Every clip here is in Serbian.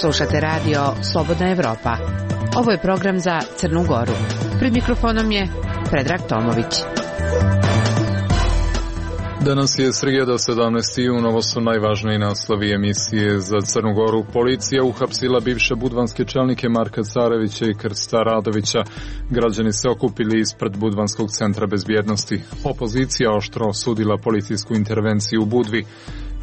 Slušate radio Slobodna Evropa. Ovo je program za Crnu Goru. Pred mikrofonom je Predrag Tomović. Danas je srijeda 17. jun, ovo su najvažniji naslovi emisije za Crnu Goru. Policija uhapsila bivše budvanske čelnike Marka Carevića i Krsta Radovića. Građani se okupili ispred Budvanskog centra bezbjednosti. Opozicija oštro osudila policijsku intervenciju u Budvi.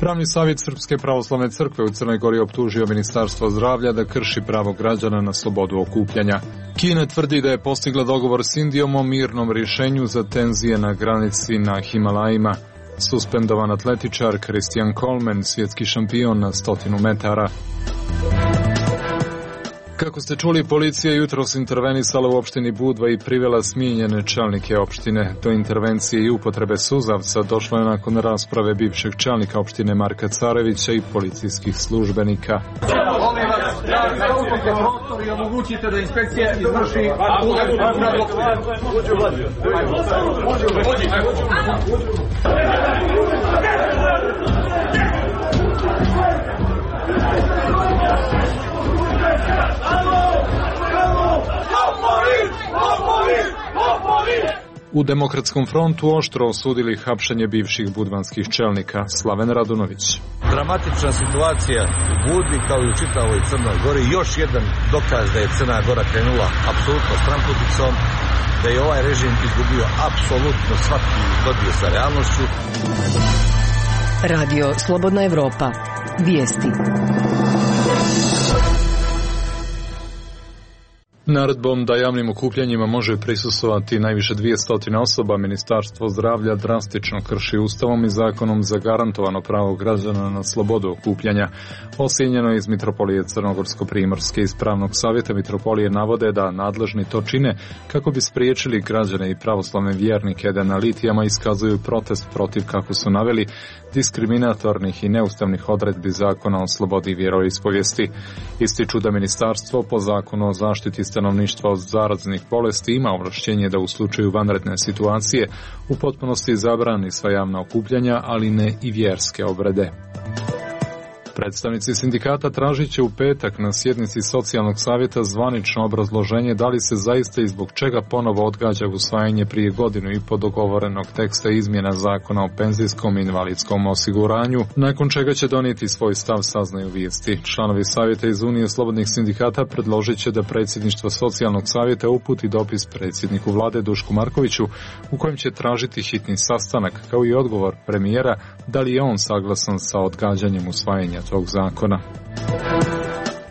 Pravni savjet Srpske pravoslavne crkve u Crnoj Gori optužio Ministarstvo zdravlja da krši pravo građana na slobodu okupljanja. Kina tvrdi da je postigla dogovor s Indijom o mirnom rješenju za tenzije na granici na Himalajima. Suspendovan atletičar Christian Coleman, svjetski šampion na 100 metara. Kako ste čuli, policija je jutros intervenisala u opštini Budva i privela smijenjene čelnike opštine. Do intervencije i upotrebe suzavca došlo je nakon rasprave bivšeg čelnika opštine Marka Carevića i policijskih službenika. Molim vas, zaupite prostor i omogućite da inspekcija izvrši U Demokratskom frontu oštro osudili hapšenje bivših budvanskih čelnika. Slaven Radunović. Dramatična situacija u Budvi kao i u čitavoj Crnoj Gori. Još jedan dokaz da je Crna Gora krenula apsolutno stranputicom, da je ovaj režim izgubio apsolutno svaki dodir sa realnošću. Radio Slobodna Evropa. Vijesti. Naredbom da javnim okupljanjima može prisustvovati najviše 200 osoba, Ministarstvo zdravlja drastično krši Ustavom i zakonom zagarantovano pravo građana na slobodu okupljanja. Osjenjeno iz Mitropolije Crnogorsko-Primorske iz Pravnog savjeta Mitropolije navode da nadležni to čine kako bi spriječili građane i pravoslavne vjernike da na litijama iskazuju protest protiv, kako su naveli, diskriminatornih i neustavnih odredbi zakona o slobodi vjeroispovijesti. Ističu da ministarstvo po zakonu o zaštiti stanovništva od zaraznih bolesti ima ovlašćenje da u slučaju vanredne situacije u potpunosti zabrani sva javna okupljanja, ali ne i vjerske obrede. Predstavnici sindikata tražit će u petak na sjednici socijalnog savjeta zvanično obrazloženje da li se zaista i zbog čega ponovo odgađa usvajanje prije godinu i po dogovorenog teksta izmjena zakona o penzijskom i invalidskom osiguranju, nakon čega će donijeti svoj stav, saznaju vijesti. Članovi savjeta iz Unije slobodnih sindikata predložit će da predsjedništvo socijalnog savjeta uputi dopis predsjedniku vlade Dušku Markoviću u kojem će tražiti hitni sastanak, kao i odgovor premijera da li je on saglasan sa odgađanjem usvajanja tog zakona.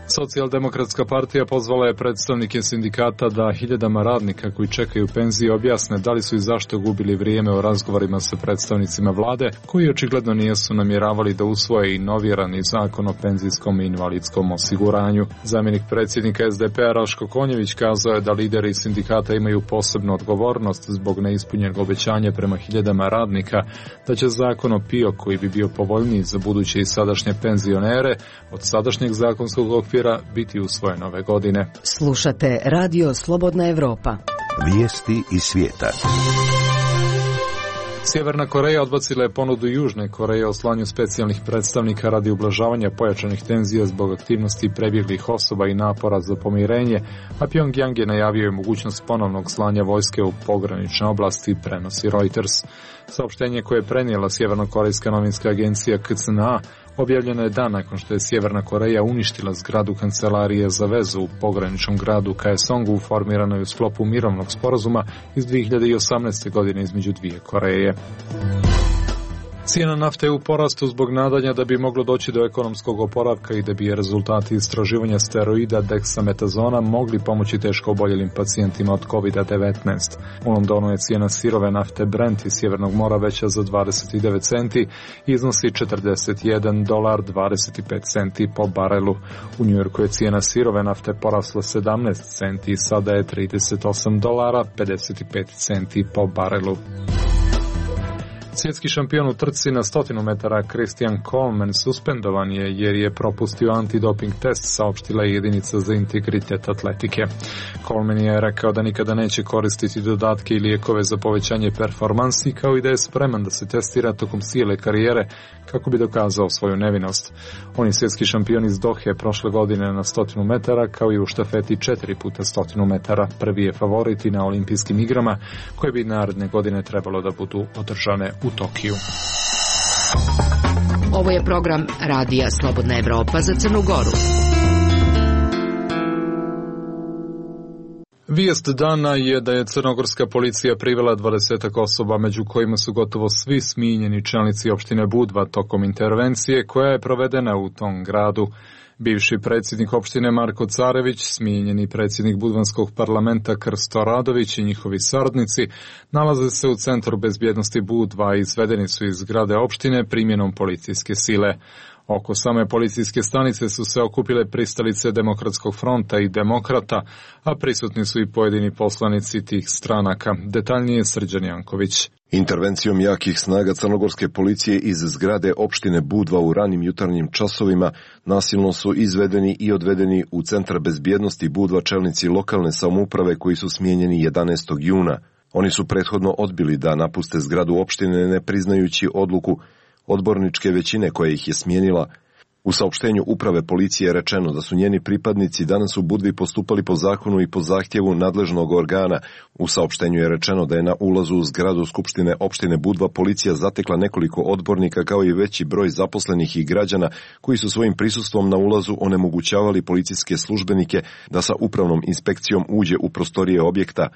Socijaldemokratska partija pozvala je predstavnike sindikata da hiljadama radnika koji čekaju penzije objasne da li su i zašto gubili vrijeme u razgovorima sa predstavnicima vlade, koji očigledno nisu namjeravali da usvoje i novirani zakon o penzijskom i invalidskom osiguranju. Zamjenik predsjednika SDP-a Raško Konjević kazao je da lideri sindikata imaju posebnu odgovornost zbog neispunjenog obećanja prema hiljadama radnika da će zakon o PIO, koji bi bio povoljniji za buduće i sadašnje penzionere, od sadašnjeg zakonskog okvira biti usvojen ove godine. Slušate Radio Slobodna Evropa. Vijesti iz svijeta. Sjeverna Koreja odbacila je ponudu Južne Koreje o slanju specijalnih predstavnika radi ublažavanja pojačanih tenzija zbog aktivnosti prebjeglih osoba i napora za pomirenje, a Pyongyang je najavio mogućnost ponovnog slanja vojske u pogranične oblasti, prenosi Reuters. Saopštenje koje je prenijela sjevernokorejska novinska agencija KCNA objavljeno je dan nakon što je Sjeverna Koreja uništila zgradu kancelarije za vezu u pograničnom gradu Kaesongu, formiranoj u sklopu mirovnog sporazuma iz 2018. godine između dvije Koreje. Cijena nafte je u porastu zbog nadanja da bi moglo doći do ekonomskog oporavka i da bi rezultati istraživanja steroida deksametazona mogli pomoći teško oboljelim pacijentima od COVID-19. U Londonu je cijena sirove nafte Brent iz Sjevernog mora veća za 29 centi i iznosi $41.25 po barelu. U Njujorku je cijena sirove nafte porasla 17 centi i sada je $38.55 po barelu. Svjetski šampion u trci na 100 metara Christian Coleman suspendovan je jer je propustio antidoping test, saopštila je jedinica za integritet atletike. Coleman je rekao da nikada neće koristiti dodatke i lijekove za povećanje performansi, kao i da je spreman da se testira tokom cijele karijere kako bi dokazao svoju nevinost. On je svjetski šampion iz Dohe prošle godine na 100 metara, kao i u štafeti 4 puta 100 metara. Prvi je favorit i na olimpijskim igrama, koje bi naredne godine trebalo da budu održane u Tokiju. Ovo je program Radija Slobodna Evropa za Crnu Goru. Vijest dana je da je crnogorska policija privela 20 osoba, među kojima su gotovo svi smijenjeni čelnici opštine Budva tokom intervencije koja je provedena u tom gradu. Bivši predsjednik opštine Marko Carević, smijenjeni predsjednik Budvanskog parlamenta Krsto Radović i njihovi saradnici nalaze se u centru bezbjednosti Budva i izvedeni su iz zgrade opštine primjenom policijske sile. Oko same policijske stanice su se okupile pristalice Demokratskog fronta i demokrata, a prisutni su i pojedini poslanici tih stranaka. Detaljnije Srđan Janković. Intervencijom jakih snaga crnogorske policije iz zgrade opštine Budva u ranim jutarnjim časovima nasilno su izvedeni i odvedeni u centar bezbjednosti Budva čelnici lokalne samouprave koji su smijenjeni 11. juna. Oni su prethodno odbili da napuste zgradu opštine ne priznajući odluku odborničke većine koja ih je smijenila. U saopštenju uprave policije je rečeno da su njeni pripadnici danas u Budvi postupali po zakonu i po zahtjevu nadležnog organa. U saopštenju je rečeno da je na ulazu u zgradu Skupštine opštine Budva policija zatekla nekoliko odbornika kao i veći broj zaposlenih i građana koji su svojim prisustvom na ulazu onemogućavali policijske službenike da sa upravnom inspekcijom uđe u prostorije objekta.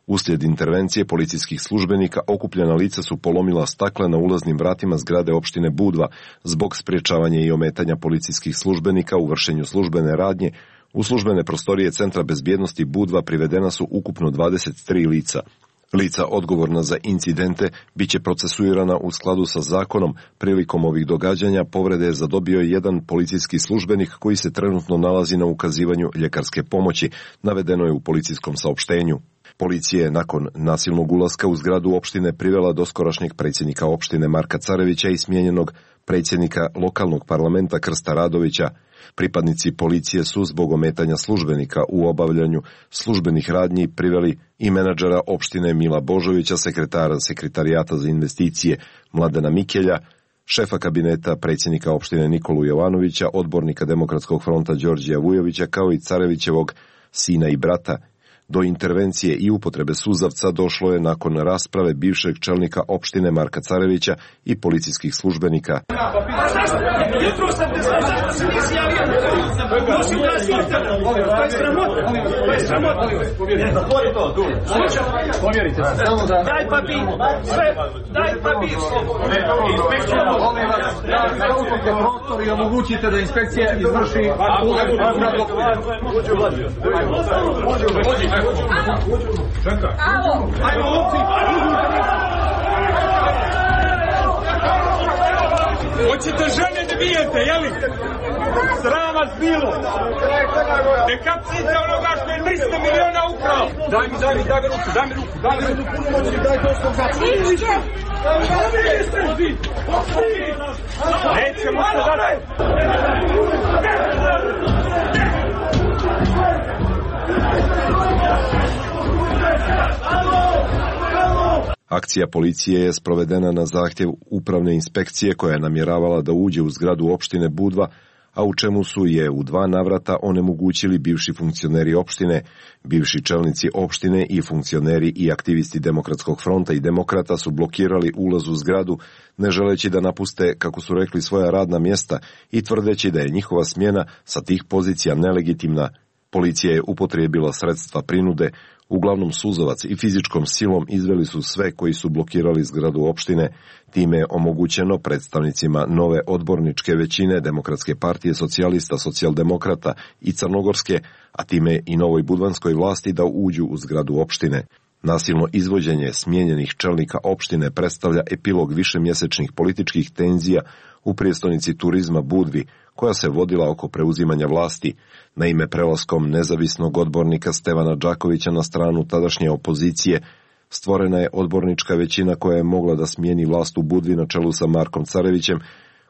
Uslijed intervencije policijskih službenika okupljena lica su polomila stakla na ulaznim vratima zgrade opštine Budva. Zbog sprječavanja i ometanja policijskih službenika u vršenju službene radnje, u službene prostorije Centra bezbjednosti Budva privedena su ukupno 23 lica. Lica odgovorna za incidente biće procesuirana u skladu sa zakonom. Prilikom ovih događanja povrede je zadobio jedan policijski službenik koji se trenutno nalazi na ukazivanju ljekarske pomoći, navedeno je u policijskom saopštenju. Policija je nakon nasilnog ulaska u zgradu opštine privela doskorašnjeg predsjednika opštine Marka Carevića i smijenjenog predsjednika lokalnog parlamenta Krsta Radovića. Pripadnici policije su zbog ometanja službenika u obavljanju službenih radnji priveli i menadžera opštine Mila Božovića, sekretara Sekretarijata za investicije Mladena Mikelja, šefa kabineta predsjednika opštine Nikolu Jovanovića, odbornika Demokratskog fronta Đorđija Vujovića, kao i Carevićevog sina i brata. Do intervencije i upotrebe suzavca došlo je nakon rasprave bivšeg čelnika opštine Marka Carevića i policijskih službenika. Jutro sam te znao da se nisi javio. Nosim transporter. To je sramota. To je sramota. Povjerite se. Daj papir. Sve. Daj papir. Inspekcija. Zauzmite prostor i omogućite da inspekcija izvrši Čekaj. Ajmo, lovci! Hoćete žene da bijete, jeli? Sram vas bilo! Ne kapcite onoga što je 300 miliona ukrao! Daj mi ruku! Daj to što ga činite! Nećemo se dati! Akcija policije je sprovedena na zahtjev upravne inspekcije koja je namjeravala da uđe u zgradu opštine Budva, a u čemu su je u 2 navrata onemogućili bivši funkcioneri opštine, bivši čelnici opštine i funkcioneri i aktivisti Demokratskog fronta i demokrata su blokirali ulaz u zgradu, ne želeći da napuste, kako su rekli, svoja radna mjesta i tvrdeći da je njihova smjena sa tih pozicija nelegitimna. Policija je upotrijebila sredstva prinude, uglavnom suzavac i fizičkom silom izveli su sve koji su blokirali zgradu opštine. Time je omogućeno predstavnicima nove odborničke većine Demokratske partije socijalista, socijaldemokrata i crnogorske, a time i novoj budvanskoj vlasti da uđu u zgradu opštine. Nasilno izvođenje smijenjenih čelnika opštine predstavlja epilog višemjesečnih političkih tenzija u prijestolnici turizma Budvi, koja se vodila oko preuzimanja vlasti. Naime, prelaskom nezavisnog odbornika Stevana Đakovića na stranu tadašnje opozicije, Stvorena je odbornička većina koja je mogla da smijeni vlast u Budvi na čelu sa Markom Carevićem,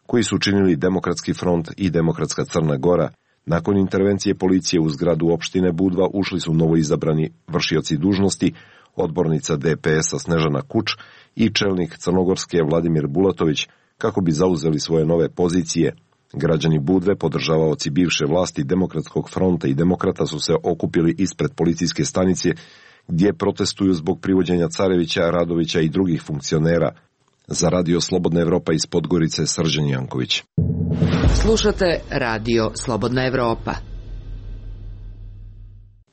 koji su učinili Demokratski front i Demokratska Crna Gora. Nakon intervencije policije u zgradu opštine Budva ušli su novoizabrani vršioci dužnosti, odbornica DPS-a Snežana Kuč i čelnik Crnogorske Vladimir Bulatović, kako bi zauzeli svoje nove pozicije. Građani Budve, podržavaoci bivše vlasti Demokratskog fronta i Demokrata, su se okupili ispred policijske stanice gdje protestuju zbog privođenja Carevića, Radovića i drugih funkcionera. Za Radio Slobodna Evropa iz Podgorice, Srđan Janković. Slušate Radio Slobodna Evropa.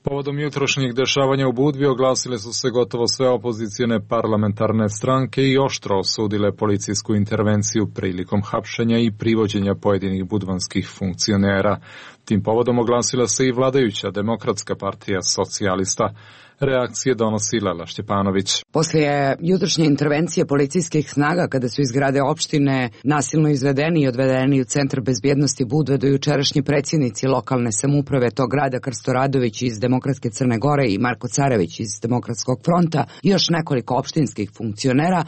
Povodom jutrošnjih dešavanja u Budvi oglasile su se gotovo sve opozicijne parlamentarne stranke i oštro osudile policijsku intervenciju prilikom hapšenja i privođenja pojedinih budvanskih funkcionera. Tim povodom oglasila se i vladajuća Demokratska partija socijalista. Reakcije donosi Lela Šćepanović. Poslije jutrošnje intervencije policijskih snaga, kada su iz zgrade opštine nasilno izvedeni i odvedeni u centar bezbjednosti Budve do jučerašnji predsjednici lokalne samouprave tog grada Krsto Radović iz Demokratske Crne Gore i Marko Carević iz Demokratskog fronta i još nekoliko opštinskih funkcionera,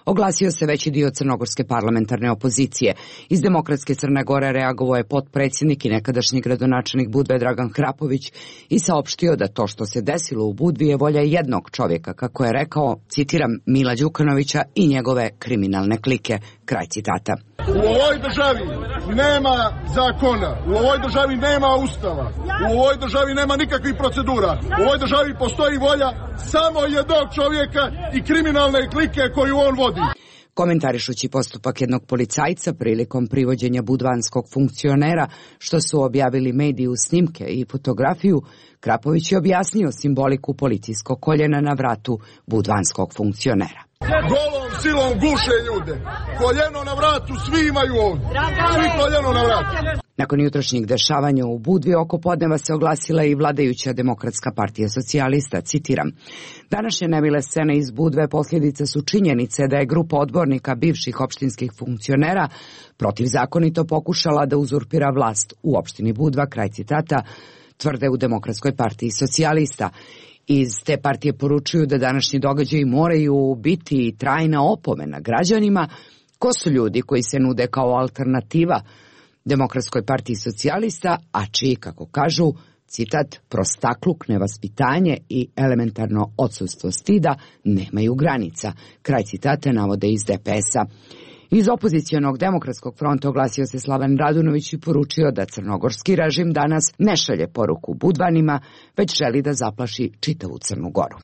oglasio se veći dio crnogorske parlamentarne opozicije. Iz Demokratske Crne Gore reagovao je potpredsjednik i nekadašnji gradonačelnik Budve Dragan Hrapović i saopštio da to što se desilo u Budvi je volja jednog čovjeka, kako je rekao, citiram, Mila Đukanovića i njegove kriminalne klike. Kraj citata. U ovoj državi nema zakona, u ovoj državi nema ustava, u ovoj državi nema nikakvih procedura, u ovoj državi postoji volja samo jednog čovjeka i kriminalne klike koju on vodi. Komentarišući postupak jednog policajca prilikom privođenja budvanskog funkcionera, što su objavili mediji u snimke i fotografiju, Krapović je objasnio simboliku policijskog koljena na vratu budvanskog funkcionera. Golom silom guše ljude. Koljeno na vratu svi imaju ovdje. Svi koljeno na vratu. Nakon jutrošnjih dešavanja u Budvi oko podneva se oglasila i vladajuća Demokratska partija socijalista, citiram. Današnje nemile scene iz Budve posljedica su činjenice da je grupa odbornika bivših opštinskih funkcionera protivzakonito pokušala da uzurpira vlast u opštini Budva, kraj citata, tvrde u Demokratskoj partiji socijalista. Iz te partije poručuju da današnji događaji moraju biti trajna opomena građanima. Ko su ljudi koji se nude kao alternativa Demokratskoj partiji socijalista, a čiji, kako kažu, citat, prostakluk, nevaspitanje i elementarno odsustvo stida nemaju granica. Kraj citate navode iz DPS-a. Iz opozicionog Demokratskog fronta oglasio se Slaven Radunović i poručio da crnogorski režim danas ne šalje poruku Budvanima, već želi da zaplaši čitavu Crnu Goru.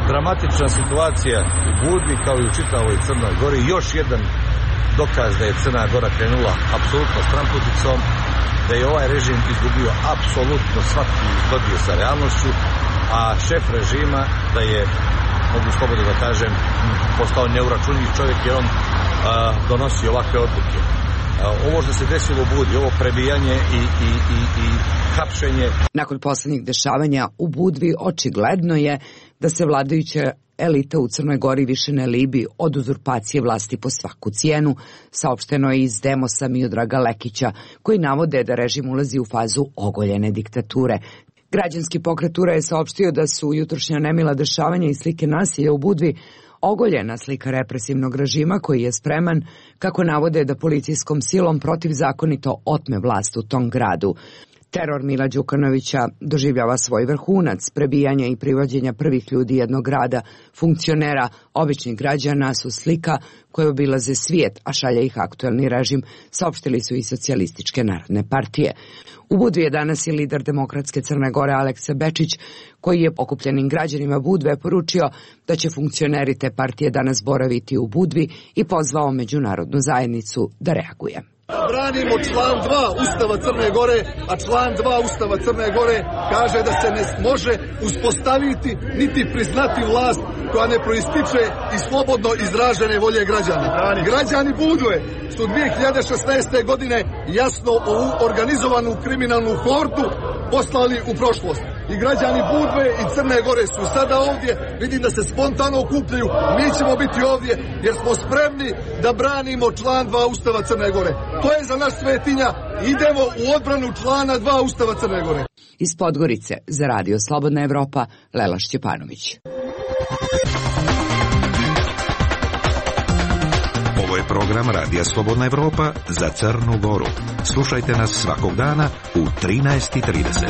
Dramatična situacija u Budvi kao i u čitavoj Crnoj Gori, još jedan dokaz da je Crna Gora krenula apsolutno stramputicom, da je ovaj režim izgubio apsolutno svaki dodir sa realnošću, a šef režima da je, mogu slobodno da kažem, postao neuračunljiv čovjek jer on donosi ovakve odluke. Ovo što se desilo u Budvi, ovo prebijanje i hapšenje. Nakon posljednjih dešavanja u Budvi očigledno je da se vladajuća elita u Crnoj Gori više ne libi od uzurpacije vlasti po svaku cijenu, saopšteno je iz Demosa Miodraga Lekića, koji navode da režim ulazi u fazu ogoljene diktature. Građanski pokret Ura je saopštio da su jutrošnja nemila dešavanja i slike nasilja u Budvi ogoljena slika represivnog režima koji je spreman, kako navode, da policijskom silom protivzakonito otme vlast u tom gradu. Teror Mila Đukanovića doživljava svoj vrhunac. Prebijanja i privođenja prvih ljudi jednog grada, funkcionera, običnih građana su slika koje obilaze svijet, a šalje ih aktuelni režim, saopštili su i socijalističke narodne partije. U Budvi je danas i lider Demokratske Crne Gore Aleksa Bečić, koji je okupljenim građanima Budve poručio da će funkcioneri te partije danas boraviti u Budvi i pozvao međunarodnu zajednicu da reaguje. Branimo član 2 Ustava Crne Gore, a član 2 Ustava Crne Gore kaže da se ne može uspostaviti niti priznati vlast koja ne proističe iz slobodno izražene volje građana. Građani Budve su 2016. godine jasno ovu organizovanu kriminalnu hordu poslali u prošlost. I građani Budve i Crne Gore su sada ovdje, vidim da se spontano okupljaju, mi ćemo biti ovdje jer smo spremni da branimo član 2 Ustava Crne Gore. To je za nas svetinja, idemo u odbranu člana 2 Ustava Crne Gore. Iz Podgorice za Radio Slobodna Evropa, Lela Šćepanović. program Radija Slobodna Evropa za Crnu Goru. Slušajte nas svakog dana u 13:30.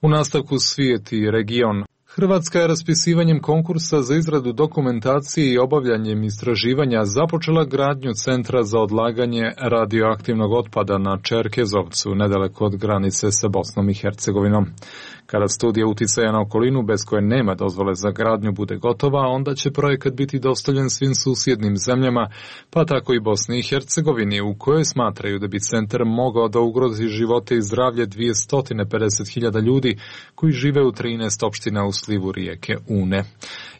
U nastavku svijet i region. Hrvatska je raspisivanjem konkursa za izradu dokumentacije i obavljanjem istraživanja započela gradnju centra za odlaganje radioaktivnog otpada na Čerkezovcu, nedaleko od granice sa Bosnom i Hercegovinom. Kada studija uticaja na okolinu bez koje nema dozvole za gradnju bude gotova, onda će projekat biti dostavljen svim susjednim zemljama, pa tako i Bosni i Hercegovini, u kojoj smatraju da bi centar mogao da ugrozi živote i zdravlje 250.000 ljudi koji žive u 13 opština u slivu rijeke Une.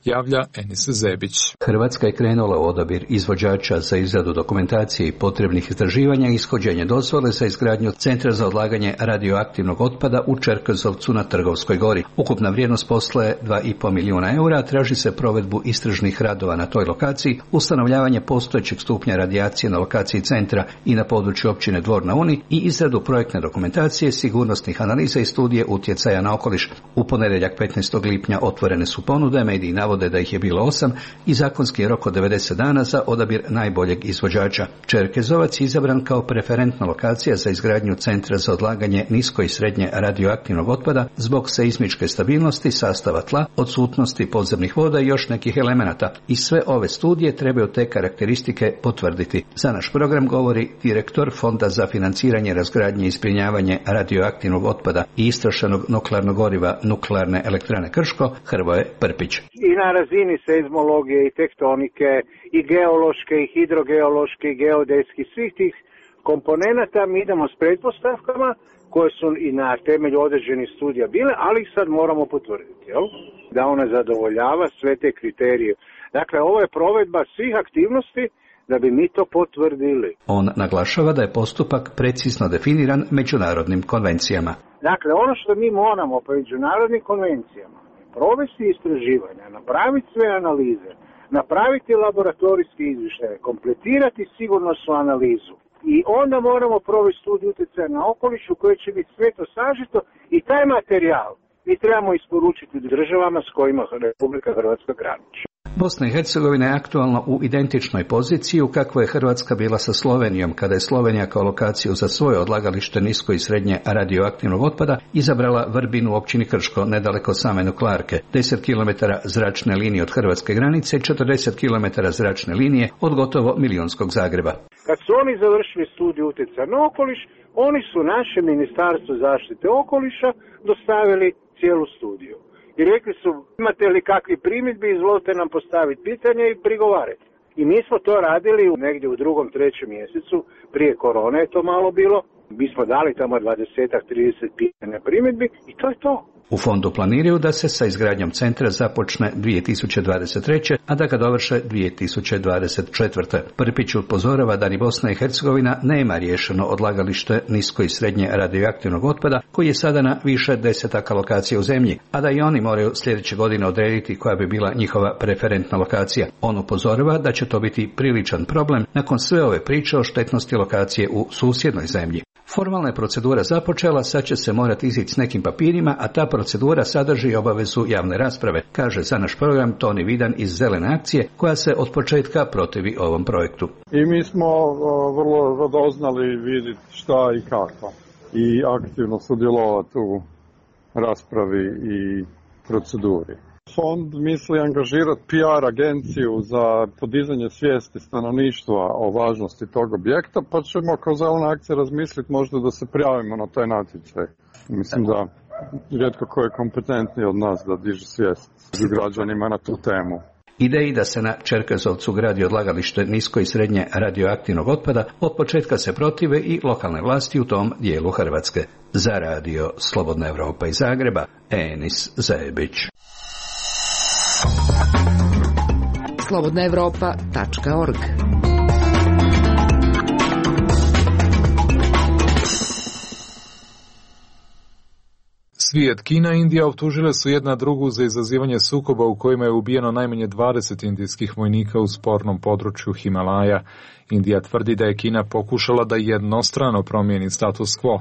Javlja Enis Zebić. Hrvatska je krenula u odabir izvođača za izradu dokumentacije i potrebnih istraživanja i ishođenje dozvole za izgradnju centra za odlaganje radioaktivnog otpada u Čerkezovcu na Trgovskoj gori. Ukupna vrijednost posla je 2,5 milijuna eura, traži se provedbu istražnih radova na toj lokaciji, ustanovljavanje postojećeg stupnja radijacije na lokaciji centra i na području općine Dvor na Uni i izradu projektne dokumentacije, sigurnosnih analiza i studije utjecaja na okoliš. U ponedjeljak 15. lipnja otvorene su ponude, mediji navode da ih je bilo 8 i zakonski je rok od 90 dana za odabir najboljeg izvođača. Čerkezovac je izabran kao preferentna lokacija za izgradnju centra za odlaganje nisko i srednje radioaktivnog otpada zbog seizmičke stabilnosti, sastava tla, odsutnosti podzemnih voda i još nekih elemenata. I sve ove studije trebaju te karakteristike potvrditi. Za naš program govori direktor Fonda za financiranje, razgradnje i zbrinjavanje radioaktivnog otpada i istrošenog nuklearnog goriva Nuklearne elektrane Krško, Hrvoje Prpić. I na razini seizmologije i tektonike i geološke i hidrogeološke i geodetski svih tih komponenata mi idemo s pretpostavkama koje su i na temelju određenih studija bile, ali ih sad moramo potvrditi, jel? Da ona zadovoljava sve te kriterije. Dakle, ovo je provedba svih aktivnosti da bi mi to potvrdili. On naglašava da je postupak precizno definiran međunarodnim konvencijama. Dakle, ono što mi moramo po međunarodnim konvencijama provesti istraživanja, napraviti sve analize, napraviti laboratorijski izvještaje, kompletirati sigurnosnu analizu i onda moramo provesti studiju utjecaja na okoliš u kojoj će biti sve to sažeto i taj materijal mi trebamo isporučiti državama s kojima Republika Hrvatska graniči. Bosna i Hercegovina je aktualno u identičnoj poziciji u kakvoj je Hrvatska bila sa Slovenijom, kada je Slovenija kao lokaciju za svoje odlagalište nisko i srednje radioaktivnog otpada izabrala Vrbinu u općini Krško, nedaleko same nuklearke, 10 km zračne linije od hrvatske granice i 40 km zračne linije od gotovo milionskog Zagreba. Kad su oni završili studiju utjecaja na okoliš, oni su naše Ministarstvo zaštite okoliša dostavili cijelu studiju. I rekli su, imate li kakvi primjedbi, izvolite nam postaviti pitanje i prigovarati. I mi smo to radili negdje u 2., 3. mjesecu, prije korone je to malo bilo. Mi smo dali tamo 20-30 pitanja primjedbi i to je to. U fondu planiraju da se sa izgradnjom centra započne 2023. a da ga dovrše 2024. Prpić upozorava da ni Bosna i Hercegovina nema riješeno odlagalište nisko i srednje radioaktivnog otpada koji je sada na više desetaka lokacija u zemlji, a da i oni moraju sljedeće godine odrediti koja bi bila njihova preferentna lokacija. On upozorava da će to biti priličan problem nakon sve ove priče o štetnosti lokacije u susjednoj zemlji. Formalna je procedura započela, sad će se morati izići s nekim papirima, a ta procedura sadrži obavezu javne rasprave, kaže za naš program Toni Vidan iz Zelene akcije, koja se od početka protivi ovom projektu. I mi smo vrlo radoznali vidjeti šta i kako i aktivno sudjelovati u raspravi i proceduri. Fond misli angažirati PR agenciju za podizanje svijesti stanovništva o važnosti tog objekta, pa ćemo kao Zelena akcija razmisliti možda da se prijavimo na taj natječaj. Mislim da rijetko ko je kompetentniji od nas da diže svijest građanima na tu temu. Ideji da se na Čerkezovcu gradi odlagalište nisko i srednje radioaktivnog otpada od početka se protive i lokalne vlasti u tom dijelu Hrvatske. Za radio Slobodna Evropa iz Zagreba, Enis Zebić. slobodnaevropa.org. Svijet, Kina i Indija optužile su jedna drugu za izazivanje sukoba u kojima je ubijeno najmanje 20 indijskih vojnika u spornom području Himalaja. Indija tvrdi da je Kina pokušala da jednostrano promijeni status quo.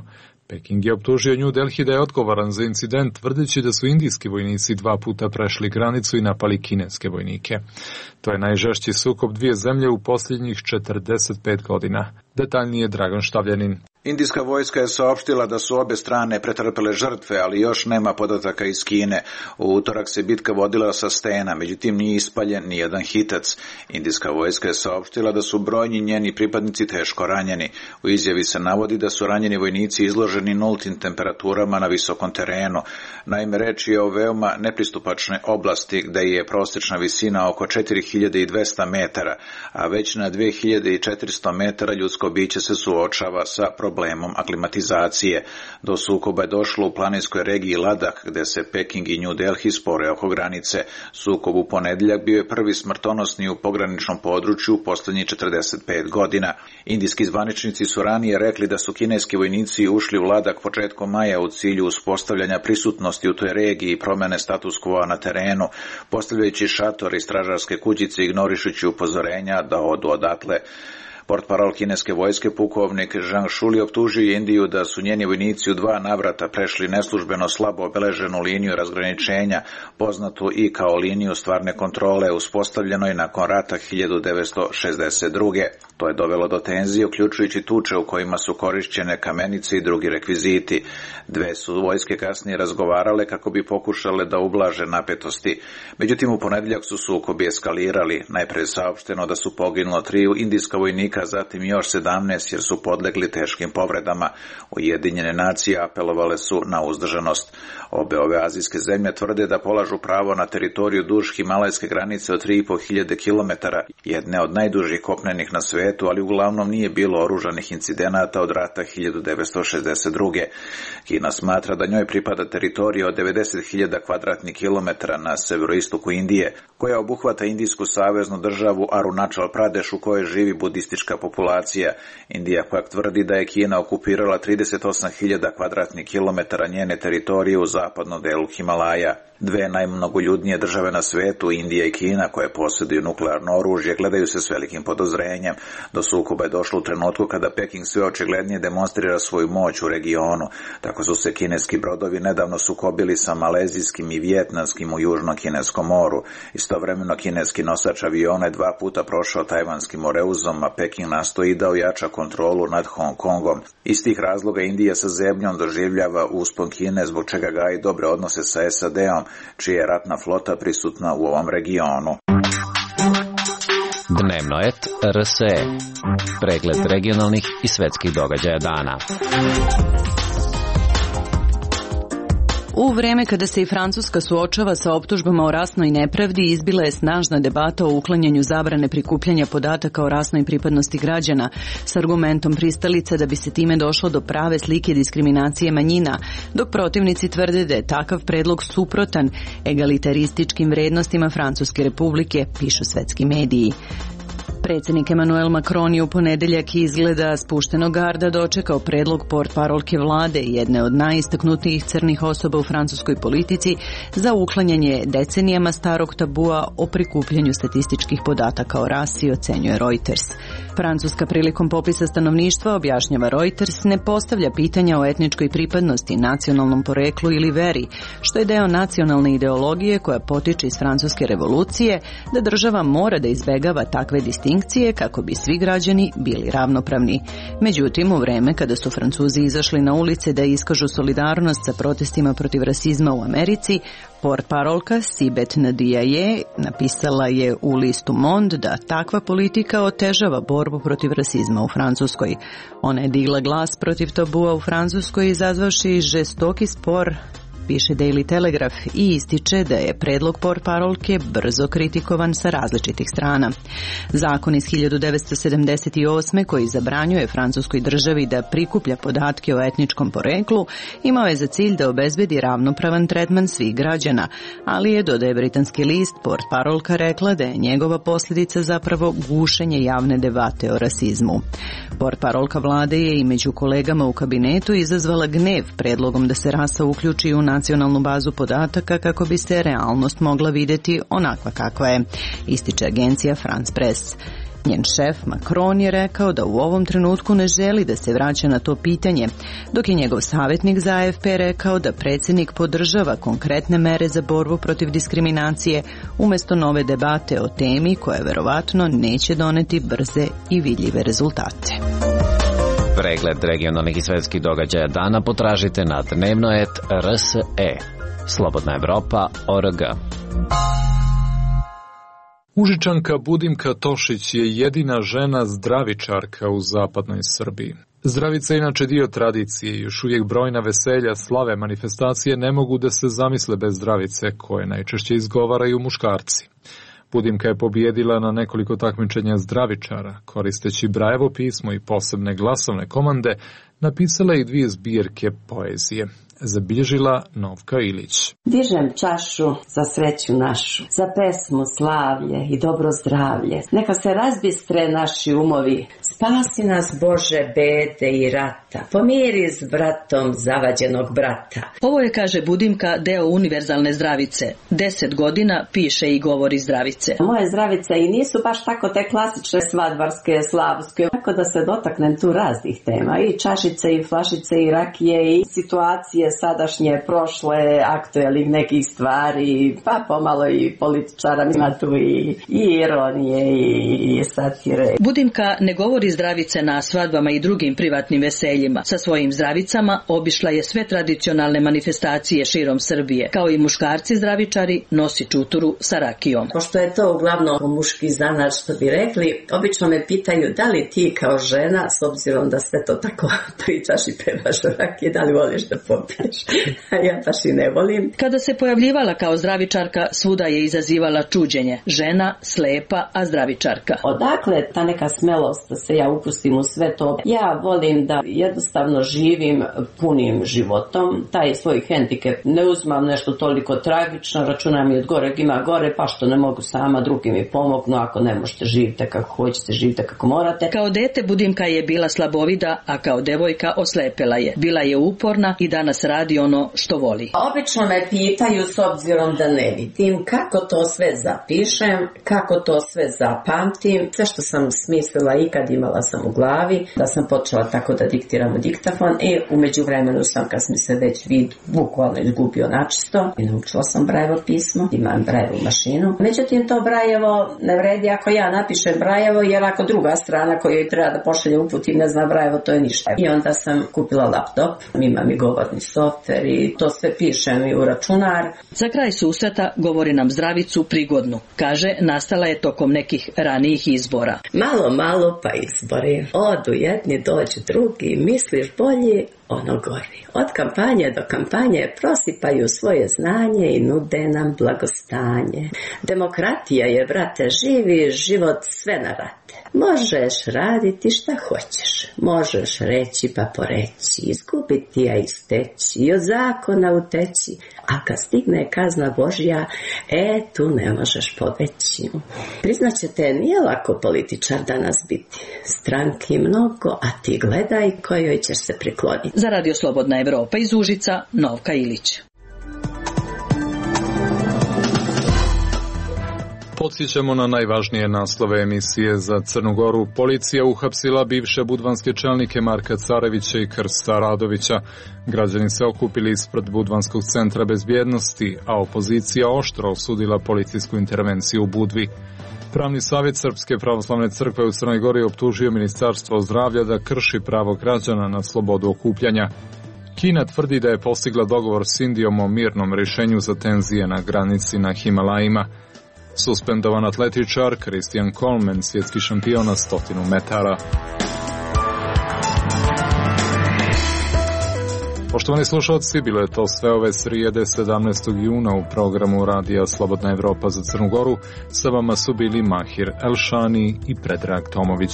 Peking je optužio New Delhi da je odgovoran za incident, tvrdeći da su indijski vojnici 2 puta prešli granicu i napali kineske vojnike. To je najžešći sukob dvije zemlje u posljednjih 45 godina. Detaljnije Dragan Štavljanin. Indijska vojska je saopštila da su obe strane pretrpele žrtve, ali još nema podataka iz Kine. U utorak se bitka vodila sa stena, međutim nije ispaljen ni jedan hitac. Indijska vojska je saopštila da su brojni njeni pripadnici teško ranjeni. U izjavi se navodi da su ranjeni vojnici izloženi nultim temperaturama na visokom terenu. Naime, reč je o veoma nepristupačnoj oblasti gde je prosječna visina oko 4200 metara, a već na 2400 metara ljudsko biće se suočava sa problemom aklimatizacije. Do sukoba je došlo u planinskoj regiji Ladah, gde se Peking i New Delhi spore oko granice. Sukob u ponedjeljak bio je prvi smrtonosni u pograničnom području u posljednjih 45 godina. Indijski zvaničnici su ranije rekli da su kineski vojnici ušli u Ladah početkom maja u cilju uspostavljanja prisutnosti u toj regiji i promjene status quo na terenu, postavljajući šatore i stražarske kućice, ignorišući upozorenja da odu odatle. Portparol kineske vojske pukovnik Zhang Shuli optužio je Indiju da su njeni vojnici u 2 navrata prešli neslužbeno slabo obeleženu liniju razgraničenja, poznatu i kao liniju stvarne kontrole, uspostavljenoj nakon rata 1962. To je dovelo do tenzije, uključujući tuče u kojima su korišćene kamenice i drugi rekviziti. Dve su vojske kasnije razgovarale kako bi pokušale da ublaže napetosti. Međutim, u ponedjeljak su sukobi eskalirali. Najpre je saopšteno da su poginulo 3 indijska vojnika, zatim još 17 jer su podlegli teškim povredama. Ujedinjene nacije apelovale su na uzdržanost. Obe ove azijske zemlje tvrde da polažu pravo na teritoriju duž himalajske granice od 3500 km, jedne od najdužih kopnenih na svetu, ali uglavnom nije bilo oružanih incidenata od rata 1962. Kina smatra da njoj pripada teritorija od 90.000 kvadratnih kilometara na severoistoku Indije, koja obuhvata indijsku saveznu državu Arunachal Pradesh u kojoj živi budistička populacija. Indija pak tvrdi da je Kina okupirala 38.000 kvadratnih kilometara njene teritorije u zapadnom delu Himalaja. Dve najmnogoljudnije države na svetu, Indija i Kina, koje posjeduju nuklearno oružje, gledaju se s velikim podozrenjem. Do sukoba je došlo u trenutku kada Peking sve očiglednije demonstrira svoju moć u regionu. Tako su se kineski brodovi nedavno sukobili sa malezijskim i vijetnamskim u južnom kineskom moru. Istovremeno kineski nosač aviona je 2 puta prošao tajvanskim moreuzom, a Peking nastoji da ojača kontrolu nad Hong Kongom. Iz tih razloga Indija sa zebnjom doživljava uspon Kine, zbog čega gaji dobre odnose sa SAD-om, čija je ratna flota prisutna u ovom regionu. Dnevno et RSE. Pregled regionalnih i svetskih događaja dana. U vreme kada se i Francuska suočava sa optužbama o rasnoj nepravdi, izbila je snažna debata o uklanjanju zabrane prikupljanja podataka o rasnoj pripadnosti građana s argumentom pristalica da bi se time došlo do prave slike diskriminacije manjina, dok protivnici tvrde da je takav predlog suprotan egalitarističkim vrednostima Francuske republike, pišu svetski mediji. Predsjednik Emmanuel Macron je u ponedeljak izgleda spuštenog garda dočekao predlog portparolke vlade, jedne od najistaknutijih crnih osoba u francuskoj politici, za uklanjanje decenijama starog tabua o prikupljanju statističkih podataka o rasi, ocenjuje Reuters. Francuska prilikom popisa stanovništva, objašnjava Reuters, ne postavlja pitanja o etničkoj pripadnosti, nacionalnom poreklu ili veri, što je deo nacionalne ideologije koja potiče iz francuske revolucije, da država mora da izbegava takve distinkcije kako bi svi građani bili ravnopravni. Međutim, u vreme kada su Francuzi izašli na ulice da iskažu solidarnost sa protestima protiv rasizma u Americi, portparolka Sibeth Ndiaye napisala je u listu Monde da takva politika otežava borbu protiv rasizma u Francuskoj. Ona je digla glas protiv tabua u Francuskoj, izazvavši žestoki spor, piše Daily Telegraph, i ističe da je predlog portparolke brzo kritikovan sa različitih strana. Zakon iz 1978. koji zabranjuje francuskoj državi da prikuplja podatke o etničkom poreklu imao je za cilj da obezbedi ravnopravan tretman svih građana, ali je, dodaje britanski list, portparolka rekla da je njegova posljedica zapravo gušenje javne debate o rasizmu. Portparolka vlade je i među kolegama u kabinetu izazvala gnev predlogom da se rasa uključi u nacionalnu bazu podataka kako bi se realnost mogla vidjeti onakva kakva je, ističe agencija France Press. Njen šef Macron je rekao da u ovom trenutku ne želi da se vraća na to pitanje, dok je njegov savjetnik za AFP rekao da predsjednik podržava konkretne mere za borbu protiv diskriminacije umjesto nove debate o temi koja verovatno neće doneti brze i vidljive rezultate. Pregled regionalnih i svetskih događaja dana potražite na dnevnoet.rse. Slobodna Evropa.org. Užičanka Budimka Tošić je jedina žena zdravičarka u zapadnoj Srbiji. Zdravica je inače dio tradicije i još uvijek brojna veselja, slave, manifestacije ne mogu da se zamisle bez zdravice, koje najčešće izgovaraju muškarci. Budimka je pobijedila na nekoliko takmičenja zdravičara, koristeći Brajevo pismo i posebne glasovne komande, napisala i 2 zbirke poezije. Zabilježila Novka Ilić. Dižem čašu za sreću našu, za pesmu, slavlje i dobro zdravlje. Neka se razbistre naši umovi, spasi nas Bože bede i rata, pomiri s bratom zavađenog brata. Ovo je, kaže Budimka, deo univerzalne zdravice. 10 godina piše i govori zdravice. Moje zdravice i nisu baš tako te klasične svadbarske, slavske, tako da se dotaknem tu raznih tema, i čašice i flašice i rakije i situacije sadašnje, prošle, aktuelnih nekih stvari, pa pomalo i političara, ima tu i ironije i satire. Budimka ne govori zdravice na svadbama i drugim privatnim veseljima. Sa svojim zdravicama obišla je sve tradicionalne manifestacije širom Srbije. Kao i muškarci zdravičari, nosi čuturu sa rakijom. Pošto je to uglavnom muški zanat, što bi rekli, obično me pitaju da li ti kao žena, s obzirom da sve to tako pričaš i pevaš o rakije, da li voliš da popiješ? A ja baš i ne volim. Kada se pojavljivala kao zdravičarka, svuda je izazivala čuđenje. Žena, slepa, a zdravičarka. Odakle ta neka smelost da se ja upustim u sve to? Ja volim da jednostavno živim punim životom. Taj svoj hendikep ne uzmam nešto toliko tragično, računam i od goreg ima gore, pa što ne mogu sama, drugi mi pomognu, ako ne možete živite kako hoćete, živite kako morate. Kao dete Budimka je bila slabovida, a kao devojka oslepela je. Bila je uporna i danas radi ono što voli. Obično me pitaju, s obzirom da ne vidim, kako to sve zapišem, kako to sve zapamtim. Sve što sam smislila ikad imala sam u glavi, da sam počela tako da diktiram u diktafon i u međuvremenu sam, kad mi se već vid bukvalno izgubio načisto, i naučila sam Brajevo pismo, imam Brajevu mašinu. Međutim, to Brajevo ne vredi ako ja napišem Brajevo, jer ako druga strana koja joj treba da pošalje uput i ne zna Brajevo, to je ništa. I onda sam kupila laptop, imam i govorni softver i to sve pišem i u računar. Za kraj susreta govori nam zdravicu prigodnu. Kaže, nastala je tokom nekih ranijih izbora. Malo pa izbori. Odu jedni, dođu drugi, misliš bolji, ono gori. Od kampanje do kampanje prosipaju svoje znanje i nude nam blagostanje. Demokratija je, brate, živi život sve na rate. Možeš raditi šta hoćeš. Možeš reći pa poreći, izgubiti, a isteći i od zakona uteći. A kad stigne kazna Božja, tu ne možeš pobeći. Priznaćete, nije lako političar danas biti. Stranki mnogo, a ti gledaj kojoj ćeš se prikloniti. Za Radio Slobodna Evropa iz Užica, Novka Ilić. Podsjećamo na najvažnije naslove emisije za Crnu Goru. Policija uhapsila bivše budvanske čelnike Marka Carevića i Krsta Radovića. Građani se okupili ispred Budvanskog centra bezbjednosti, a opozicija oštro osudila policijsku intervenciju u Budvi. Pravni savjet Srpske pravoslavne crkve u Crnoj Gori optužio Ministarstvo zdravlja da krši pravo građana na slobodu okupljanja. Kina tvrdi da je postigla dogovor s Indijom o mirnom rješenju za tenzije na granici na Himalajima. Suspendovan atletičar Christian Coleman, svjetski šampion na 100 metara. Poštovani slušalci, bilo je to sve ove srijede 17. juna u programu Radija Slobodna Evropa za Crnu Goru. Sa vama su bili Mahir Elšani i Predrag Tomović.